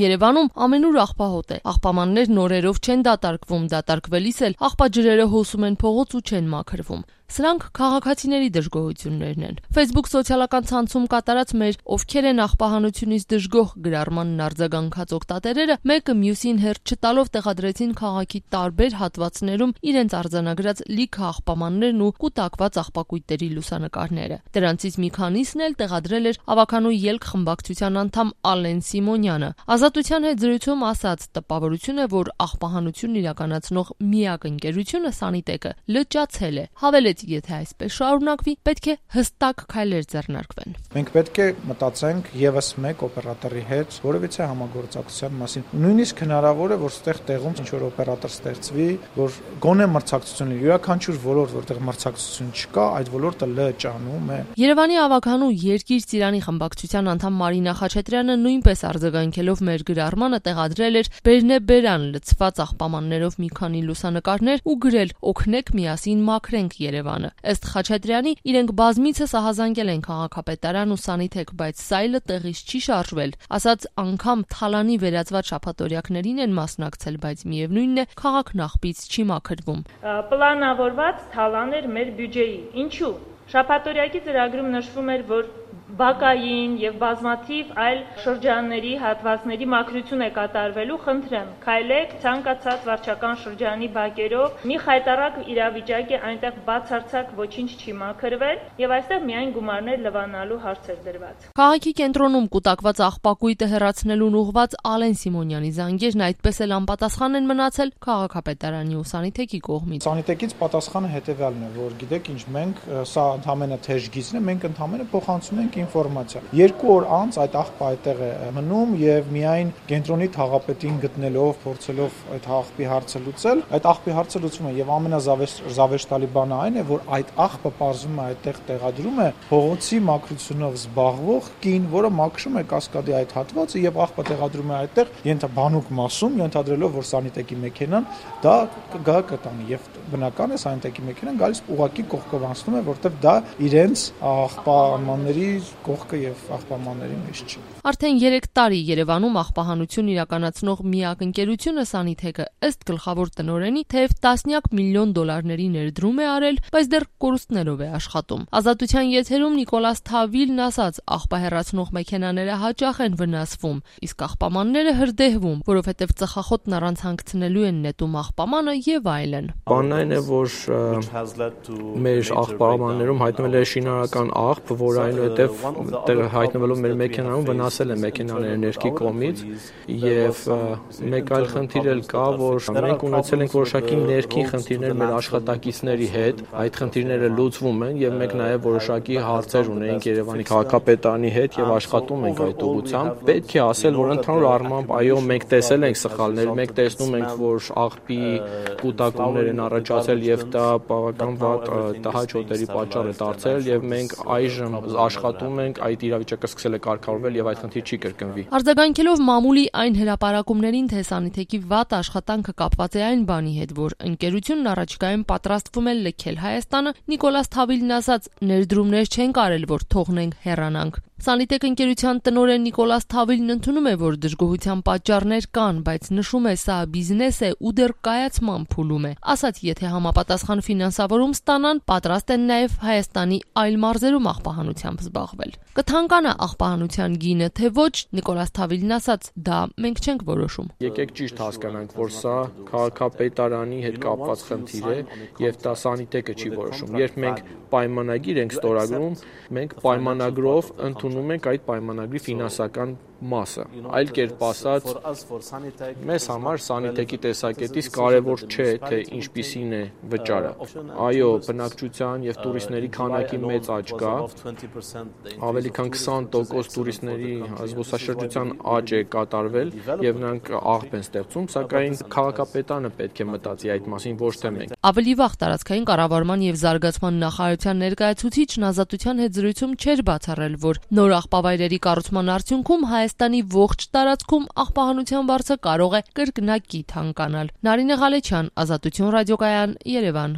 Երևանում ամենուր աղբահոտ է, աղբամաններն օրերով չեն դատարկվում, դատարկվելիս էլ աղբաջրերը հոսում են փողոց ու չեն մաքրվում։ Սրանք քաղաքացիների դժգոհություններն են։ Facebook սոցիալական ցանցում կատարած մեր «Ովքեր են աղբահանությունից դժգոհ» գրառմանն արձագանքած օգտատերերը մեկը մյուսին հերթ չտալով տեղադրեցին քաղաքի տարբեր հատվածներում իրենց արձանագրած լիքը աղբամաններն ու կուտակված աղբակույտերի լուսանկարները։ Դրանցից մի քանիսն էլ տեղադրել էր Ավականու ելք խմբակցության անդամ Ալեն Սիմոնյանը։ Ազատության հետ զրույցում ասաց, տպավորություն է, որ աղբահանությունն իրականացնող միակ ընկերությունը Սանիտեկը լճացել է։ Հավելեց, եթե այսպես շարունակվի, պետք է հստակ քայլեր ձեռնարկվեն։ Մենք պետք է մտածենք եւս մեկ օպերատորի հետ որևիցե համագործակցության մասին։ Նույնիսկ հնարավոր է, որ ստեղ տեղում ինչ-որ օպերատոր ստեղծվի, որ գոնե մրցակցություն լինի։ Յուրաքանչյուր ոլորտ, որտեղ մրցակցություն չկա, այդ ոլորտը լճանում է։ Երևանի Ավականու Երկիր Ծիրանի խմբակցության անդամ Մարինա Խաչատրյանը նույնպես արձագանքելով մեր գրառմանը տեղադրել էր բերնեբերան լցված աղբամաններով մի քանի լուսանկարներ ու գրել «Օգնեք միասին մաքրենք Երևանը»։ Ըստ Խաչատրյանի, իրենք բազմիցս ահազանգել են քաղաքապետարան ու Սանիտեկ, բայց սայլը տեղից չի շարժվել։ Ասաց, անգամ թալանի վերածված շաբաթօրյակներին են մասնակցել, բայց միևնույնն է, քաղաքն աղբից չի մաքրվում։ Պլանավորված թալան էր մեր բյուջեի։ Ինչու՞։ Շաբաթօրյակի ծրագրում նշվում էր, որ բակային եւ բազմաթիվ այլ շրջանների հատվածների մաքրություն է կատարվելու, խնդրեմ, քայլեք ցանկացած վարչական շրջանի բակերով, մի խայտարակ իրավիճակ է, այնտեղ բացարձակ ոչինչ չի մաքրվել եւ այստեղ միայն գումարներ լվանալու հարց էր դրված։ Քաղաքի կենտրոնում կուտակված աղբակույտը հեռացնելուն ուղղված Ալեն Սիմոնյանի զանգերն այդպես էլ անպատասխան են մնացել քաղաքապետարանի ու Սանիտեկի կողմից։ Սանիտեկից պատասխանը հետեւյալն է, որ գիտեք ինչ, մենք սա ընդհանրապես թեժգիծն է, մենք ընդհանրապես փոխանցում ենք ինֆորմացիա։ 2 օր անց այդ աղբը այդտեղ է մնում եւ միայն կենտրոնի թաղապետին գտնելով, փորձելով այդ աղբի հարցը լուծել, այդ աղբի հարցը լուծվում է եւ ամենազավեշտալի բանը այն է, որ այդ աղբը պարզվում է այդտեղ տեղադրում է փողոցի մաքրությունով զբաղվող կին, որը մաքրում է կասկադի այդ հատվածը եւ աղբը տեղադրում է այդտեղ բանուկ մասում, ենթադրելով, որ Սանիտեկի մեքենան դա կգա կտանի եւ բնական է Սանիտեկի մեքենան գալիս ուղակի կողքով անցնում է, որտեղ դա իրենց աղբամանների կողքը եւ աղբամանների մեջ չի։ Արդեն 3 տարի Երևանում աղբահանություն իրականացնող միակ ընկերությունը Սանիտեկը ըստ գլխավոր տնօրենի թեև տասնյակ միլիոն դոլարների ներդրում է արել, բայց դեռ կորուստներով է աշխատում։ Ազատության եթերում Նիկոլաս Թավիլն ասաց, աղբահեռացնող մեքենաները հաճախ են վնասվում, իսկ աղբամանները հրդեհվում, որովհետև ծխախոտն առանց հանգցնելու են նետում աղբամանը եւ այլն։ Բանն այն է, որ մեր աղբամաններում հայտնվել է շինարարական աղբ, որ այնուհետև հայտնվելով մեր մեքենայում վնասել է մեքենաները ներքի կողմից եւ մեկ այլ խնդիր էլ կա, որ մենք ունեցել ենք որոշակի ներքին խնդիրներ մեր աշխատակիցների հետ, այդ խնդիրները լուծվում են եւ մենք նաեւ որոշակի հարցեր ունենք Երևանի քաղաքապետարանի հետ եւ աշխատում ենք այդ ուղղությամբ։ Պետք է ասել, որ ընդհանուր առմամբ այո, մենք տեսել ենք սխալներ, մենք տեսնում ենք, որ աղբի կուտակումներ են առաջացել եւ դա բավական վատ տհաճ հոտերի պատճառ է դարձել եւ մենք այժմ աշխատում ենք, այդ իրավիճակը սկսել է կարգավորվել եւ այդ խնդիր չի կրկնվի։ Արձագանքելով մամուլի այն հրապարակումներին, թե Սանիտեկի վատ աշխատանքը կապված է այն բանի հետ, որ ընկերությունն առաջիկայում պատրաստվում է լքել Հայաստանը, Նիկոլաս Թավիլն ասաց, ներդրումներ չեն կարել, որ թողնենք հեռանանք։ Սանիտեկ ընկերության տնօրեն Նիկոլաս Թավիլն ընդունում է, որ դժգոհության պատճառներ կան, բայց նշում է, սա բիզնես է ու դեռ կայացման փուլում է։ Ասաց, եթե համապատասխան ֆինանսավորում ստանան, պատրաստ են նաև Հայաստանի այլ մարզերում աղբահանությամբ զբաղվել։ Կթանկանա աղբահանության գինը, թե ոչ, Նիկոլաս Թավիլն ասաց, դա մենք չենք որոշում։ Եկեք ճիշտ հասկանանք, որ սա քաղաքապետարանի հետ կապված խնդիր է եւ դա Սանիտեկը չի որոշում։ Երբ մենք պայմանագիր ենք ստորագրում, մենք պայմանագրով ընդունում ենք այդ պայմանագրի ֆինանսական մասը։ Այլ կերպ ասած, մեզ համար Սանիտեկի տեսակետից կարևոր չէ, թե ինչպիսին է վճարը։ Այո, բնակչության եւ տուրիստների քանակի մեծ աճ կա։ Ավելի քան 20% տուրիստների զբոսաշրջության աճ է կատարվել եւ նրանք աղբ են ստեղծում, սակայն քաղաքապետարանը պետք է մտածի այդ մասին, ոչ թե մենք։ Ավելի վաղ տարածքային կառավարման եւ զարգացման նախարարության ներկայացուցիչն Ազատության հետ զրույցում չէր բացառել, որ նոր աղբավայրերի կառուցման արդյունքում Հայաստանի ողջ տարածքում աղբահանության վարձը կարող է կրկնակի թանկանալ։ Նարինե Ղալեչյան, Ազատություն ռադիոկայան, Երևան։